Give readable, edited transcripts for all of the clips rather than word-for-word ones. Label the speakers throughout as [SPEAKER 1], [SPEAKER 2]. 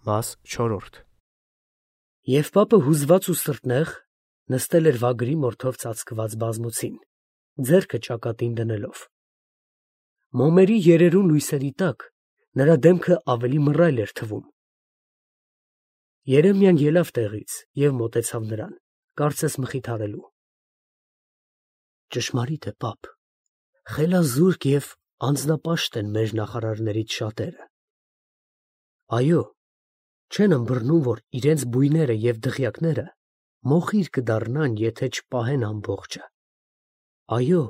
[SPEAKER 1] Մաս 4
[SPEAKER 2] Եվ պապը հուզված ու սրտնեղ նստել էր վագրի մորթով ծածկված բազմոցին, ձեռքը ճակատին դնելով. մոմերի երերուն լույսերի տակ նրա դեմքը ավելի մռայլ էր թվում։ Երեմիան ելավ տեղից և մոտեցավ նրան, կարծես մխիթարելու. ճշմարիտ է, պապ, խելազուրկ և անձնապաշտ են մեր նախարարներից շատերը. այո, չեն ըմբռնում, որ իրենց բույները և դղյակները մոխիր կդառնան, եթե չպահեն ամբողջը. այո,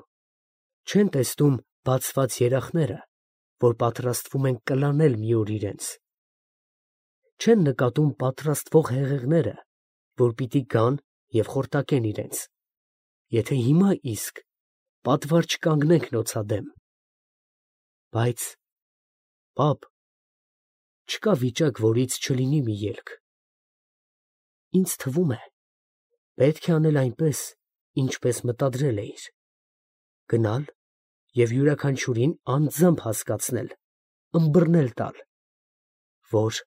[SPEAKER 2] չեն տեսնում բացված երախները, որ պատրաստվում են կլանել մի օր իրենց, չեն նկատում պատրաստվող հեղեղները, որ պիտի գան և խորտակեն իրենց, եթե հիմա իսկ պատվար չկանգնենք նոցադեմ. բայց, պապ, չկա վիճակ, որից չլինի մի ելք. ինձ թվում է, պետք է անել այնպես, ինչպես մտադրել էիր, գնալ և յուրաքանչյուրին անձամբ հասկացնել, ըմբռնել տալ, որ…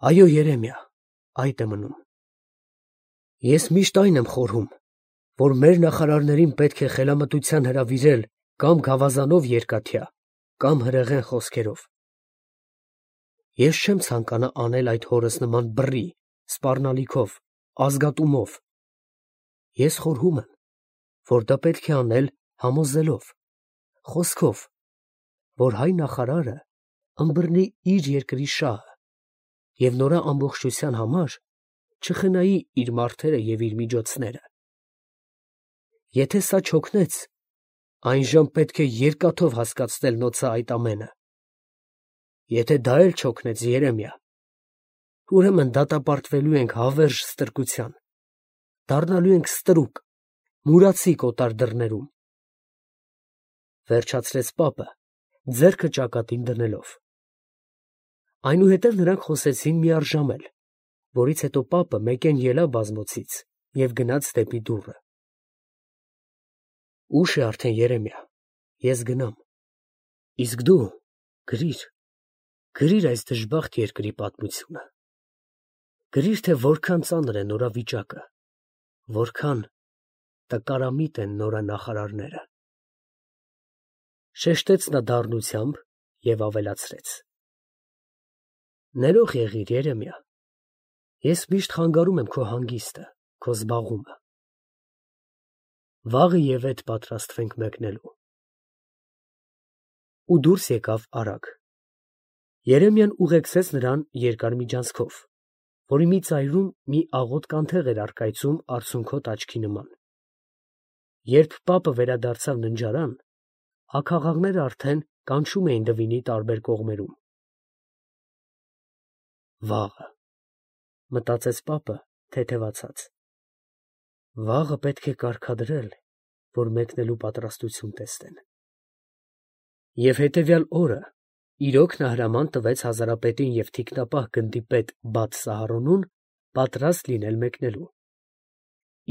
[SPEAKER 2] Այո, Երեմիա, այդ է մնում. ես միշտ այն եմ խորհում, որ մեր նախարարներին պետք է խելամտության հրավիրել կամ գավազանով երկաթյա, կամ հրեղեն խոսքերով. ես չեմ ցանկանա անել այդ հորս նման բռի, սպառնալիքով, ազգատումով. ես խորհում եմ, որ դա պետք է անել համոզելով, խոսքով, որ հայ նախարարը ըմբռնի իր երկրի շահը և նրա ամբողջության համար չխնայի իր մարդերը և իր միջոցները. եթե սա չօգնեց, այնժամ պետք է երկաթով հասկացնել նոցա այդ ամենը. եթե դա էլ չօգնեց, Երեմիա, ուրեմն դատապարտվելու ենք հավերժ ստրկության, դառնալու ենք ստրուկ, մուրացիկ օտար դռներում, վերջացրեց պապը, ձեռքը ճակատին դնելով. այնուհետև նրանք խոսեցին միառժավել, որից հետո պապը մեկեն ելավ բազմոցից և գնաց դեպի դուռը. ուշ է արդեն, Երեմիա, ես գնամ, իսկ դու գրիր այս դժբախտ երկրի պատմությունը, գրիր, թե որքան ծանր է նորա վիճակը, որքան տկարամիտ են նորա նախարարները… Շեշտեց նա դառնությամբ և ավելացրեց. ներող եղիր, Երեմիա, ես միշտ խանգարում եմ քո հանգիստը, քո զբաղումը… վաղը ևեթ պատրաստվենք մեկնելու… Ու դուրս եկավ արագ… Երեմիան ուղեկցեց նրան երկար միջանցքով, որի մի ծայրում մի աղոտ կանթեղ էր առկայծում արցունքոտ աչքի նման… Երբ պապը վերադարձավ ննջարան, աքաղաղները արդեն կանչում էին դվինի տարբեր կողմերում… Վաղը… մտածեց պապը թեթևացած… վաղը պետք է կարգադրել, որ մեկնելու պատրաստություն տեսնեն… Եվ հետևյալ օրը իրոք նա հրաման տվեց հազարապետին և թիկնապահ գնդի պետ Բաթ Սահարոնուն պատրաստ լինել մեկնելու,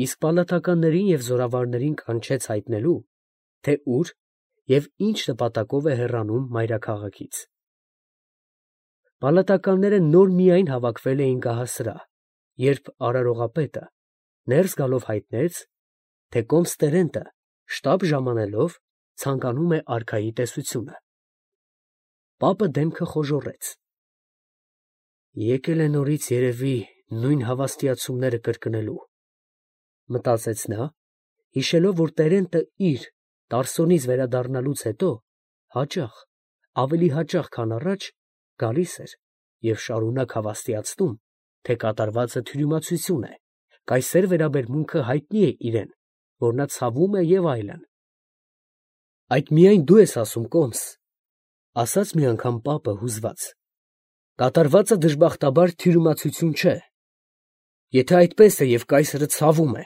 [SPEAKER 2] իսկ պալատականներին և զորավարներին կանչեց հայտնելու, թե ուր և ինչ նպատակով է հեռանում մայրաքաղաքից… Պալատականները նոր միայն հավաքվել էին գահասրահ, երբ արարողապետը ներս գալով հայտնեց, թե կոմստերենտը շտապ ժամանելով ցանկանում է արքայի տեսությունը… Պապը դեմքը խոժոռեց… եկել է նորից, երևի, նույն հավաստիացումները կրկնելու, մտածեց նա, հիշելով, որ տերենտը իր Տարսոնից վերադառնալուց հետո հաճախ, ավելի հաճախ, քան առաջ, գալիս էր և շարունակ հավաստիացնում, թե կատարվածը թյուրիմացություն է, կայսեր վերաբերմունքը հայտնի է իրան, որ նա ցավում է և այլն… Այդ միայն դու ես ասում, կոմս… ֊ ասաց մի անգամ պապը հուզված… կատարվածը դժբախտաբար թյուրիմացություն չէ… եթե այդպես է և կայսրը ցավում է,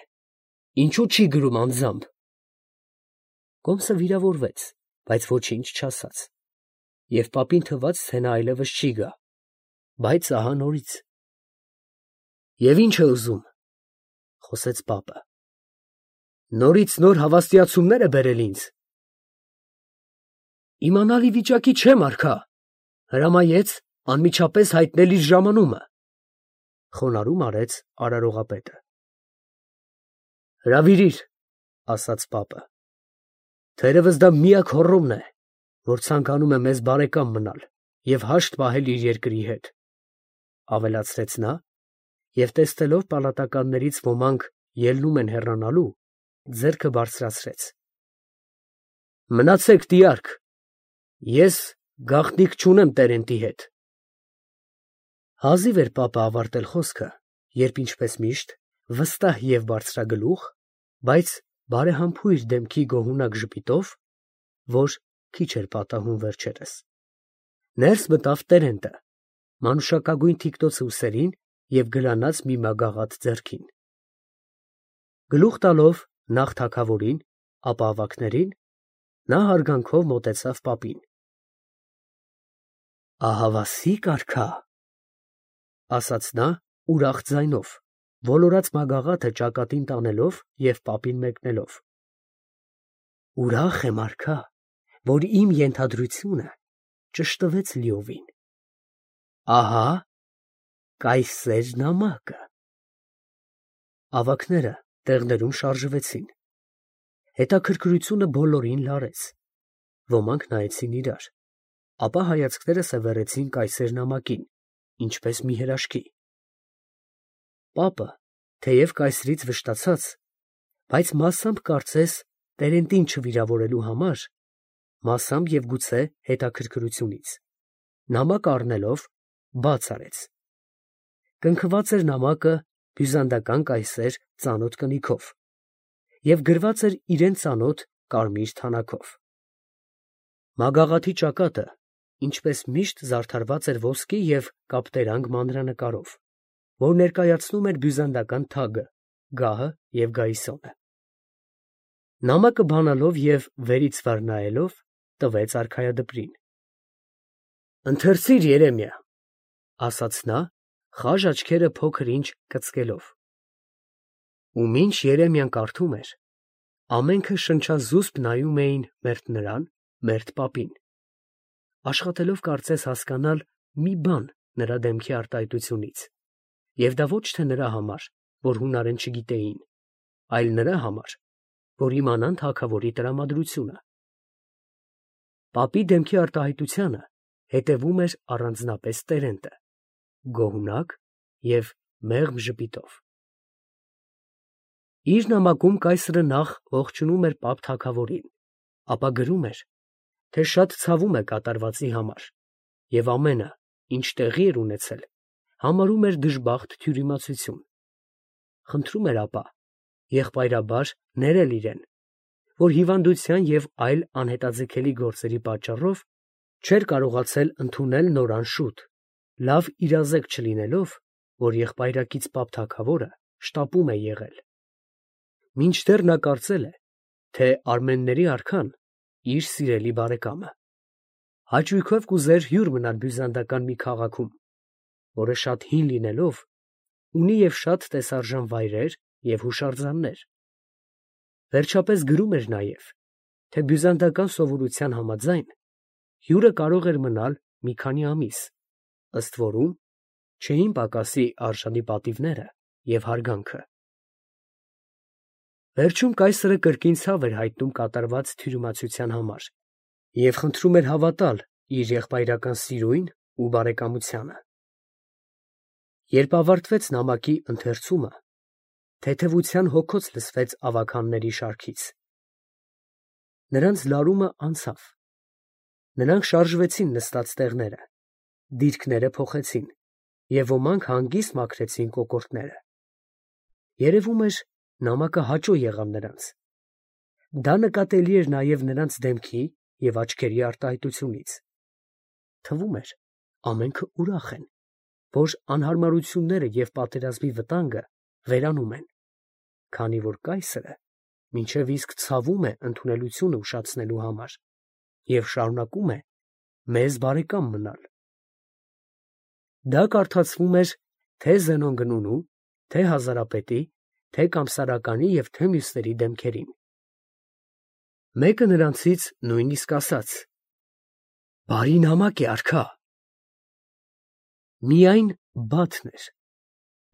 [SPEAKER 2] ինչո՞ւ չի գրում անձամբ… Կոմսը վիրավորվեց, բայց ոչինչ չասաց… և պապին թվաց, թե նա այլևս չի գա… բայց ահա նորից… ֊ Եվ ի՞նչ է ուզում, ֊ խոսեց պապը, ֊ նորից նոր հավաստիացումնե՞ր է բերել ինձ… Իմանալ ի վիճակի չեմ, արքա… հրամայեց, Անմիջապես հայտնել իր ժամանումը, խոնարհում արեց արարողապետը։ Հրավիրիր, ասաց պապը։ Թերևս դա միակ հոռոմն է, որ ցանկանում է մեզ բարեկամ մնալ և հաշտ պահել իր երկրի հետ, ավելացրեց նա, և տեսնելով պալատականներից ոմանք ելնում են հեռանալու, ձեռքը բարձրացրեց։ Մնացեք տիարք, ես գաղտնիք չունեմ Տերենտի հետ։ Հազիվ էր պապը ավարտել խոսքը, երբ ինչպես միշտ վստահ և բարձրագլուխ, բայց բարեհամբույր դեմքի գոհունակ ժպիտով, որ քիչ էր պատահում վերջերս, ներս մտավ Տերենտը, մանուշակագույն թիկնոց ուսերին և գլանած մի մագաղաթ ձեռքին։ Գլուխ տալով նախ թագավորին, ապա ավագներին, նա հարգանքով մոտեցավ պապին։ Ահավասիկ արքա, ասաց նա ուրախ ձայնով, ոլորած մագաղաթը ճակատին տանելով և պապին մեկնելով։ Ուրախ եմ արքա, որ իմ ենթադրությունը ճշտվեց լիովին։ Ահա կայսեր նամակը։ Ավագները տեղներում շարժվեցին։ Հետաքրքրությունը բոլորին լարեց։ Ոմանք նայեցին իրար, ապա հայացքները սևեռեցին կայսեր նամակին, ինչպես մի հրաշքի։ Պապը, թեև կայսրից վշտացած, բայց մասամբ կարծես Տերենտին չվիրավորելու համար, մասամբ և գուցե հետաքրքրությունից, նամակը առնելով բաց արեց։ Կնքված էր նամակը բյուզանդական կայսեր ծանոթ կնիքով և գրված էր իրան ծանոթ կարմիր թանաքով։ Մագաղաթի ճակատը, ինչպես միշտ, զարդարված էր ոսկի և կապտերանգ մանրանկարով, որ ներկայացնում էր բյուզանդական թագը, գահը և գայիսոնը։ Նամակը բանալով և վերից վար նայելով, տվեց արքայադպրին։ Ընթերցի՛ր, Երեմիա, ասաց նա, խաժ աչքերը փոքր-ինչ կծկելով։ Ու մինչ Երեմիան կարդում էր, ամենքը շնչազուսպ նայում էին մերթ նրան, մերթ պապին, աշխատելով կարծես հասկանալ մի բան նրա դեմքի արտահայտությունից, և դա ոչ թե նրա համար, որ հունարեն չգիտեին, այլ նրա համար, որ իմանան թագավորի տրամադրությունը։ Պապի դեմքի արտահայտությանը հետևում էր առանձնապես Տերենտը, գոհունակ և մեղմ ժպիտով։ Իր նամակում կայսրը նախ ողջունում էր պապ թագավորին, ապա գրում էր, թե շատ ցավում է կատարվածի համար և ամենը, ինչ տեղի էր ունեցել, համարում էր դժբախտ թյուրիմացություն։ Խնդրում էր ապա եղբայրաբար ներել իրեն, որ հիվանդության և այլ անհետաձգելի գործերի պատճառով չէր կարողացել ընդունել նոր անշուտ, լավ իրազեկ չլինելով, որ եղբայրակից պապ թագավորը շտապում է եղել։ Մինչդեռ նա կարծել է, թե արմենների արքան իր սիրելի բարեկամը հաճույքով կուզեր հյուր մնալ բյուզանդական մի քաղաքում, որը շատ հին լինելով, ունի և շատ տեսարժան վայրեր և հուշարձաններ։ Վերջապես գրում էր նաև, թե բյուզանդական սովորության համաձայն, հյուրը կարող էր մնալ մի քանի ամիս, ըստ որում չէին պակասի արժանի պատիվները և հարգանքը։ Վերջում կայսրը կրկին ցավ էր հայտնում կատարված թյուրիմացության համար և խնդրում էր հավատալ իր եղբայրական սիրույն ու բարեկամությանը։ Երբ ավարտվեց նամակի ընթերցումը, թեթևության հոգոց լսվեց ավագանների շարքից։ Նրանց լարումը անցավ։ Նրանք շարժվեցին նստած տեղները, դիրքերը փոխեցին և ոմանք հանգիստ մաքրեցին կոկորդները։ Երևում էր, նամակը հաճո եղավ նրանց։ Դա նկատելի էր նաև նրանց դեմքի և աչքերի արտահայտությունից։ Թվում էր, ամենքը ուրախ են, որ անհարմարությունները և պատերազմի վտանգը վերանում են, քանի որ կայսրը մինչև իսկ ցավում է ընդունելությունը ուշացնելու համար և շարունակում է մեզ բարեկամ մնալ։ Դա կարդացվում էր թե Զենոն գնունու, թե հազարապետի, թե կամսարականի և թե մյուսների դեմքերին։ Մեկը նրանցից նույնիսկ ասաց. «Բարի նամակ է արքա»։ Միայն բաթն էր,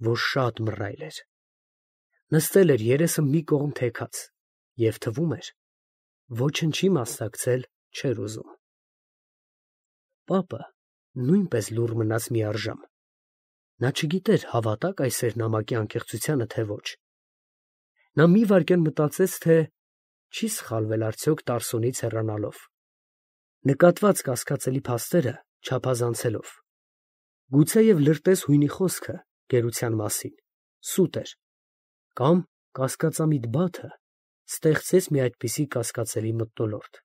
[SPEAKER 2] որ շատ մռայլ էր։ Նստել էր երեսը մի կողմ թեքած և թվում էր, ոչնչի մասնակցել չէր ուզում։ Պապը նույնպես լուռ մնաց մի առժամ։ Նա չգիտեր հավատա՞ք այս նամակի անկեղծությանը, թե ոչ։ Նա մի վայրկյան մտածեց, թե չի սխալվել արդյոք Տարսոնից հեռանալով, նկատված կասկածելի փաստերը չափազանցելով։ Գուցեև լրտես հույնի խոսքը գերության մասին սուտ էր, կամ կասկածամիտ բաթը ստեղծեց մի այդպիսի կասկածելի մթնոլորտ։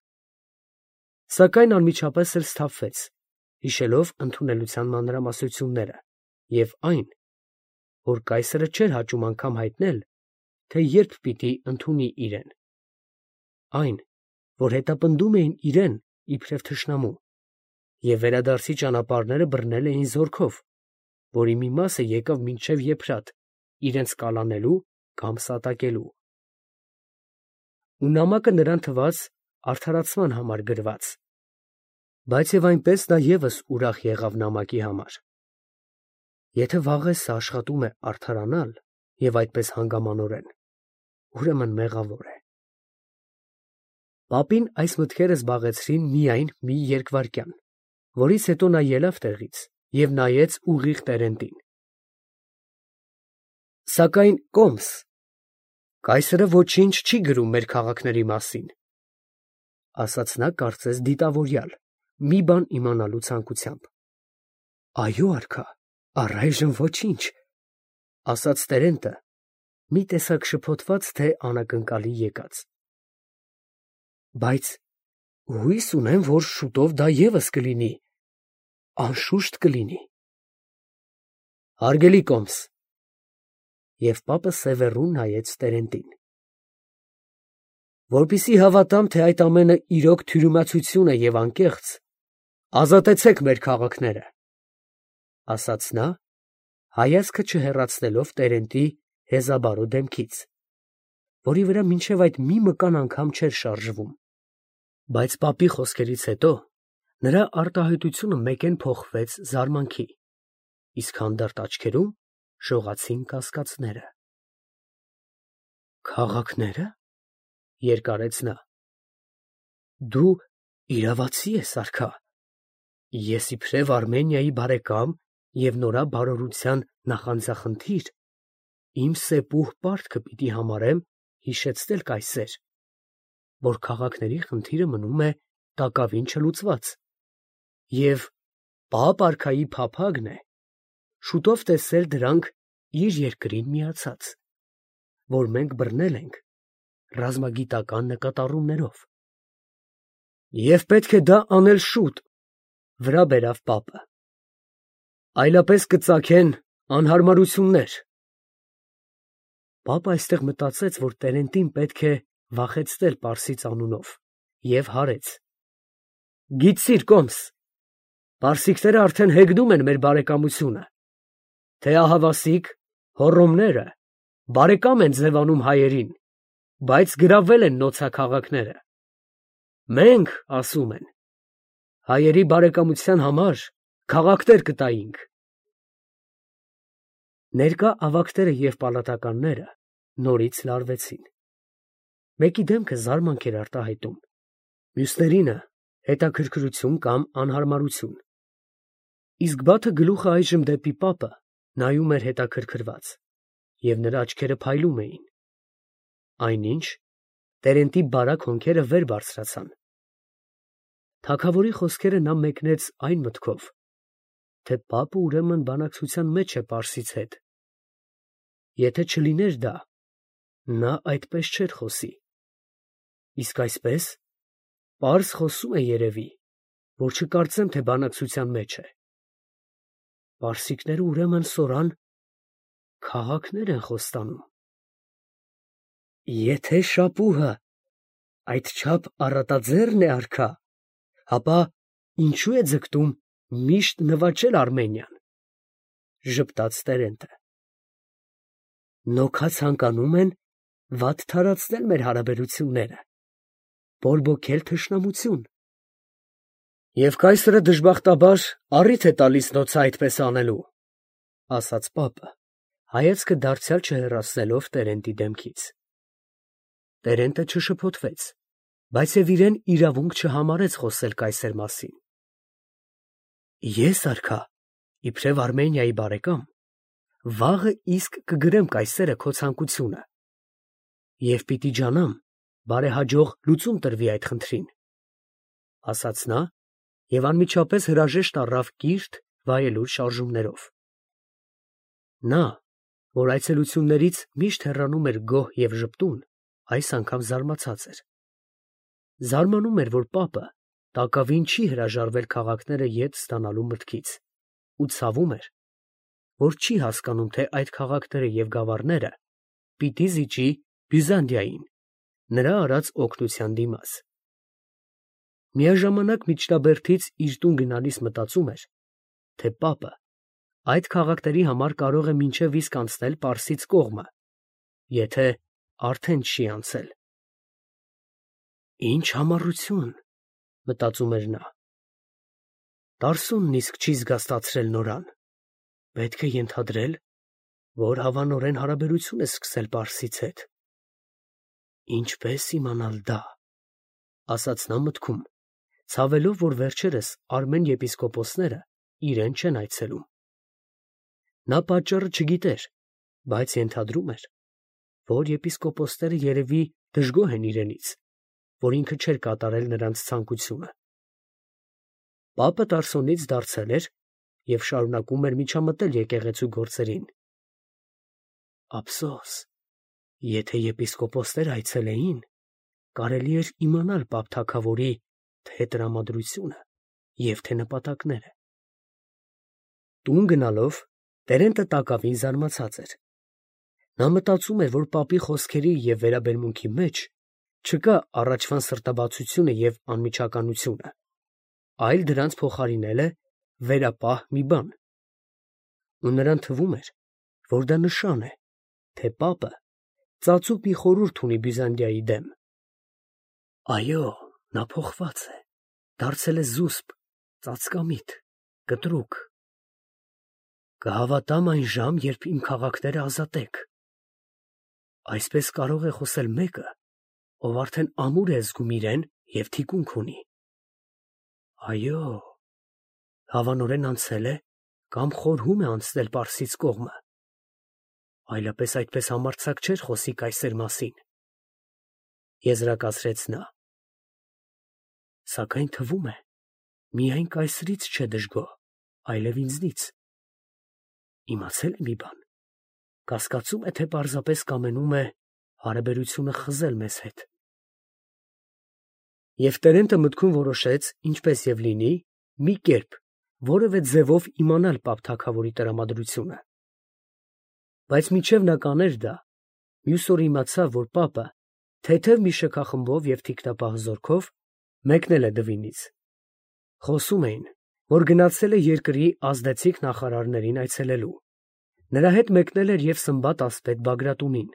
[SPEAKER 2] Սակայն անմիջապես էլ սթափվեց, հիշելով ընդունելության մանրամասնությունները և այն, որ կայսրը չէր հաճում անգամ հայտնել, թե երբ պիտի ընդունի իրեն, այն, որ հետապնդում էին իրեն իբրև թշնամու, և վերադարձի ճանապարհները բռնել էին զորքով, որի մի մասը եկավ մինչև Եփրատ, իրենց կալանելու կամ սատակելու։ Ու նամակը նրան թվաց արդարացման համար գրված, բայց և այնպես նա ևս ուրախ եղավ նամակի համար։ Եթե վաղեսը աշխատում է արդարանալ և այդպես հանգամանորեն, ուրեմն մեղավոր է։ Պապին այս մտքերը զբաղեցրին միայն մի երկվայրկյան, որից հետո նա ելավ տեղից և նայեց ուղիղ Տերենտին։ Սակայն կոմս, կայսրը ոչինչ չի գրում մեր քաղաքների մասին, ֊ ասաց նա կարծես դիտավորյալ, մի բան իմանալու ցանկությամբ։ ֊ Այո, արքա, առայժմ ոչինչ, ֊ ասաց Տերենտը, մի տեսակ շփոթված, թե անակնկալի եկած։ ֊ Բայց հույս ունեմ, որ շուտով դա ևս կլինի, անշուշտ կլինի։ ֊ Հարգելի կոմս, և պապը սևեռուն նայեց Տերենտին, որպեսզի հավատամ, թե այդ ամենը իրոք թյուրիմացություն է և անկեղծ, ազատեցեք մեր քաղաքները, ֊ ասաց նա, հայացքը չհեռացնելով Տերենտի հեզաբարո դեմքից, որի վրա մինչև այդ մի մկան անգամ չէր շարժվում։ Բայց պապի խոսքերից հետո նրա արտահայտությունը մեկեն փոխվեց զարմանքի, իսկ հանդարտ աչքերում շողացին կասկածները։ Քաղաքնե՞րը, ֊ երկարեց նա, ֊ դու իրավացի ես, արքա։ Ես իբրև Արմենիայի բարեկամ և նորաբարորության նախանձախնդիր, իմ սեպուհ պարտքը պիտի համարեմ հիշեցնել կայսեր, որ քաղաքների խնդիրը մնում է տակավին չլուծված, և պապ արքայի փափագն է շուտով տեսնել դրանք իր երկրին միացած, որ մենք բռնել ենք ռազմագիտական նկատառումներով։ Եվ պետք է դա անել շուտ, ֊ վրա բերավ պապը, ֊ այլապես կծագեն անհարմարություններ։ Պապը այստեղ մտածեց, որ Տերենտին պետք է վախեցնել պարսից անունով, և հարեց. Գիտցիր, կոմս, պարսիկները արդեն հեգնում են մեր բարեկամությունը, թե ահավասիկ, Հոռոմները բարեկամ են ձևանում հայերին, բայց գրավել են նոցա քաղաքները։ Մենք, ասում են, հայերի բարեկամության համար քաղաքներ կտայինք։ Ներկա ավագները և պալատականները նորից լարվեցին։ Մեկի դեմքը զարմանք էր արտահայտում, մյուսներինը հետաքրքրություն կամ անհարմարություն, իսկ Բաթը գլուխը այժմ դեպի պապը նայում էր հետաքրքրված, և նրա աչքերը փայլում էին, այնինչ Տերենտի բարակ հոնքերը վեր բարձրացան։ Թագավորի խոսքերը նա մեկնեց այն մտքով, թե պապը ուրեմն բանակցության մեջ է պարսից հետ։ Եթե չլիներ դա, նա այդպես չէր խոսի, իսկ այսպես պարզ խոսում է երևի, որ չկարծեմ, թե բանակցության մեջ է։ Պարսիկները ուրեմն սորան քաղաքներ են խոստանում։ Եթե շապուհը այդչափ առատաձեռն է, արքա, ապա ինչու է ձգտում միշտ նվաճել Արմենիան, ֊ ժպտաց Տերենտը։ Նոքա ցանկանում են վատ թարացնել մեր հարաբերությունները, բորբոքել թշնամություն։ Եվ կայսրը դժբախտաբար առիթ է տալիս նոցը այդպես անելու, ասաց պապը, հայացքը դարձյալ չհեռացնելով Տերենտի դեմքից։ Տերենտը չշփոթվեց, բայց և իրեն իրավունք չհամարեց խոսել կայսեր մասին։ Ես արքա, իբրև Արմենիայի բարեկամ, վաղը իսկ կգրեմ կայսերը քո ցանկությունը, և պիտի ջանամ բարեհաջող լուծում տրվի այդ խնդրին, ասաց նա և անմիջապես հրաժեշտ առավ կիրթ վայելուր շարժումներով։ Նա, որ այցելություններից միշտ հեռանում էր գոհ և ժպտուն, այս անգամ զարմացած էր։ Զարմանում էր, որ պապը տակավին չի հրաժարվել քաղաքները ետ ստանալու մտքից, ու ցավում էր, որ չի հասկանում, թե այդ քաղաքները և գավառները պիտի զիջի Բյուզանդիային, նրա արած օգնության դիմաց։ Միաժամանակ միջնաբերդից իր տուն գնալիս մտածում էր, թե պապը այդ քաղաքների համար կարող է մինչև իսկ անցնել Պարսից կողմը, եթե արդեն չի անցել։ Ինչ համառություն, մտածում էր նա։ Տարսունն իսկ չի զգաստացրել նորան, պետք է ենթադրել, որ հավանորեն հարաբերություն է սկսել Պարսից հետ։ Ինչպես իմանալ դա, ասաց նա մտքում, ցավելով, որ վերջերս արմեն եպիսկոպոսները իրեն չեն այցելում։ Նա պատճառը չգիտեր, բայց ենթադրում էր, որ եպիսկոպոսները երևի դժգոհ են իրենից, որ ինքը չէր կատարել նրանց ցանկությունը։ Պապը Տարսոնից դարձել էր և շարունակում էր միջամտել եկեղեցու գործերին։ Ափսոս, եթե եպիսկոպոսները այցելեին, կարելի էր իմանալ պապ թագավորի թե տրամադրությունը և թե նպատակները։ Տուն գնալով Տերենտը տակավին զարմացած էր։ Նա մտածում էր, որ պապի խոսքերի և վերաբերմունքի մեջ չկա առաջվան սրտաբացությունը և անմիջականությունը, այլ դրանց փոխարինել է վերապահ մի բան։ Ու նրան թվում էր, որ դա նշան է, թե պապը ծածուկ մի խորհուրդ ունի Բյուզանդիայի դեմ։ Այո, նա փոխված է, դարձել է զուսպ, ծածկամիտ, կտրուկ։ Կհավատամ այն ժամ, երբ իմ քաղաքները ազատեք։ Այսպես կարող է խոսել մեկը, ով արդեն ամուր է զգում իրեն և թիկունք ունի։ Այո, հավանորեն անցել է կամ խորհում է անցնել Պարսից կողմը, այլապես այդպես համարձակ չէր խոսի կայսեր մասին, եզրակացրեց նա։ Սակայն թվում է, միայն կայսրից չէ դժգոհ, այլև ինձնից։ Իմացել է մի բան, կասկածում է, թե պարզապես կամենում է հարաբերությունը խզել մեզ հետ։ Եվ Տերենտը մտքում որոշեց, ինչպես և լինի, մի կերպ, որևէ ձևով իմանալ պապ թագավորի տրամադրությունը։ Բայց մինչև նա կաներ դա, մյուս օր իմացավ, որ պապը թեթև մի շքախմբով և թիկնապահ զորքով մեկնել է Դվինից։ Խոսում էին, որ գնացել է երկրի ազդեցիկ նախարարներին այցելելու։ Նրա հետ մեկնել էր և Սմբատ ասպետ Բագրատունին։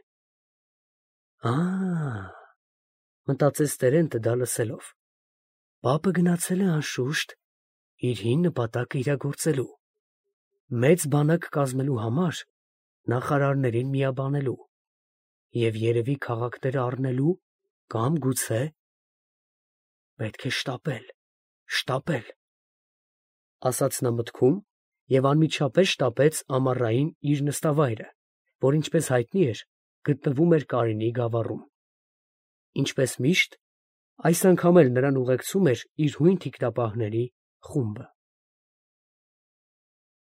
[SPEAKER 2] Մտածեց Տերենտը դա լսելով, պապը գնացել է անշուշտ իր հին նպատակը իրագործելու, մեծ բանակ կազմելու համար նախարարներին միաբանելու և երևի քաղաքները առնելու կամ գուցե պետք է շտապել, ասաց նա մտքում և անմիջապես շտապեց ամառային իր նստավայրը, որ ինչպես հայտնի էր, գտնվում էր Կարինի գավառում։ Ինչպես միշտ, այս անգամ էլ նրան ուղեկցում էր իր հույն թիկնապահների խումբը։